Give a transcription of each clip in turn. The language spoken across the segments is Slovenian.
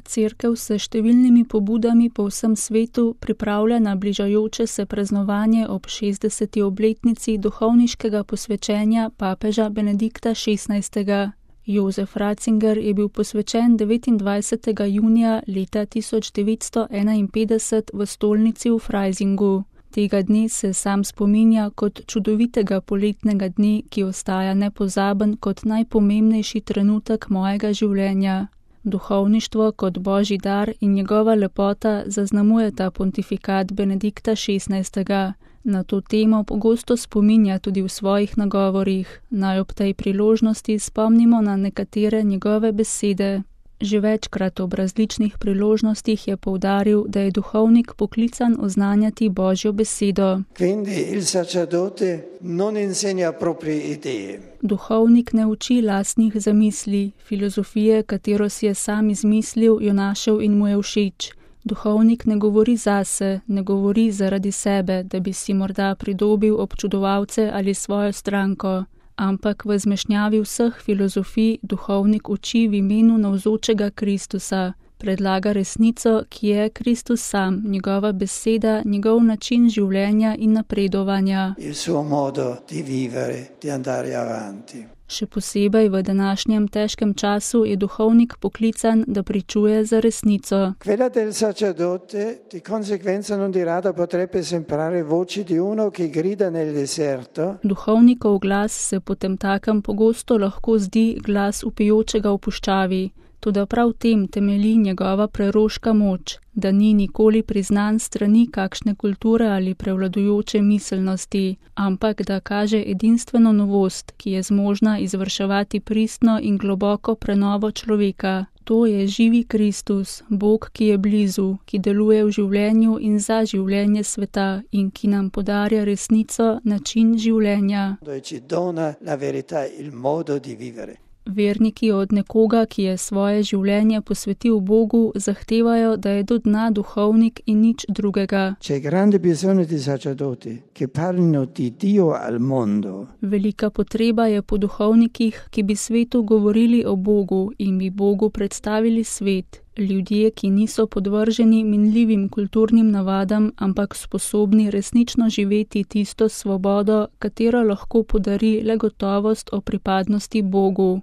Cerkev se številnimi pobudami po vsem svetu pripravlja na bližajoče se praznovanje ob 60. obletnici duhovniškega posvečenja papeža Benedikta XVI. Jozef Ratzinger je bil posvečen 29. junija leta 1951 v stolnici v Freisingu. Tega dne se sam spominja kot čudovitega poletnega dne, ki ostaja nepozaben kot najpomembnejši trenutek mojega življenja. Duhovništvo kot božji dar in njegova lepota zaznamujeta pontifikat Benedikta XVI. Na to temo pogosto spominja tudi v svojih nagovorih. Naj ob tej priložnosti spomnimo na nekatere njegove besede. Že večkrat ob različnih priložnostih je poudaril, da je duhovnik poklican oznanjati Božjo besedo. Duhovnik ne uči lastnih zamisli, filozofije, katero si je sam izmislil, jo našel in mu je všeč. Duhovnik ne govori zase, ne govori zaradi sebe, da bi si morda pridobil občudovalce ali svojo stranko. Ampak v zmešnjavi vseh filozofij duhovnik uči v imenu navzočega Kristusa, predlaga resnico, ki je Kristus sam, njegova beseda, njegov način življenja in napredovanja. Še posebej v današnjem težkem času je duhovnik poklican, da pričuje za resnico. Quella del sacerdote di conseguenza non di rado potrebbe sembrare voci di uno che grida nel deserto. Duhovnikov glas se potemtakem pogosto lahko zdi glas vpijočega v puščavi. Toda prav v tem temelji njegova preroška moč, da ni nikoli priznan strani kakšne kulture ali prevladujoče miselnosti, ampak da kaže edinstveno novost, ki je zmožna izvrševati pristno in globoko prenovo človeka. To je živi Kristus, Bog, ki je blizu, ki deluje v življenju in za življenje sveta in ki nam podarja resnico, način življenja. Verniki od nekoga, ki je svoje življenje posvetil Bogu, zahtevajo, da je do dna duhovnik in nič drugega. Velika potreba je po duhovnikih, ki bi svetu govorili o Bogu in bi Bogu predstavili svet. Ljudje, ki niso podvrženi minljivim kulturnim navadam, ampak sposobni resnično živeti tisto svobodo, katero lahko podari le gotovost o pripadnosti Bogu.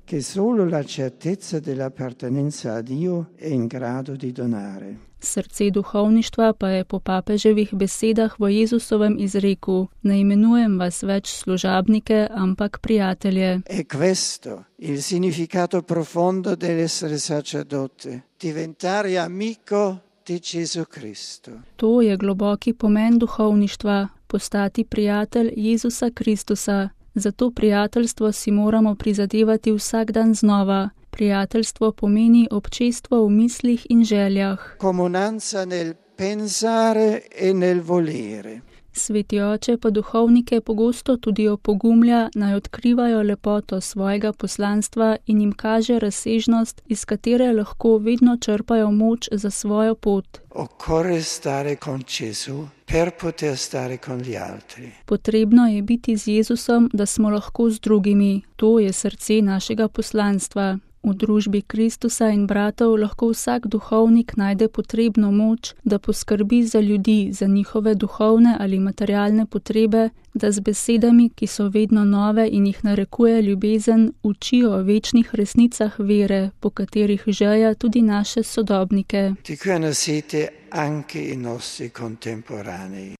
Srce duhovništva pa je po papeževih besedah v Jezusovem izreku: ne imenujem vas več služabnike, ampak prijatelje. E questo il significato profondo dell'essere sacerdote, diventare amico di Gesù Cristo. To je globoki pomen duhovništva, postati prijatelj Jezusa Kristusa. Za to prijateljstvo si moramo prizadevati vsak dan znova. Prijateljstvo pomeni občestvo v mislih in željah. Comunanza nel pensare e nel volere. Sveti oče pa duhovnike pogosto tudi opogumlja, naj odkrivajo lepoto svojega poslanstva in jim kaže razsežnost, iz katere lahko vedno črpajo moč za svojo pot. Occorre stare con Gesù per poter stare con gli altri. Potrebno je biti z Jezusom, da smo lahko z drugimi. To je srce našega poslanstva. V družbi Kristusa in bratov lahko vsak duhovnik najde potrebno moč, da poskrbi za ljudi, za njihove duhovne ali materialne potrebe, da z besedami, ki so vedno nove in jih narekuje ljubezen, učijo o večnih resnicah vere, po katerih žeja tudi naše sodobnike. Di cui hanno sete anche i nostri contemporanei.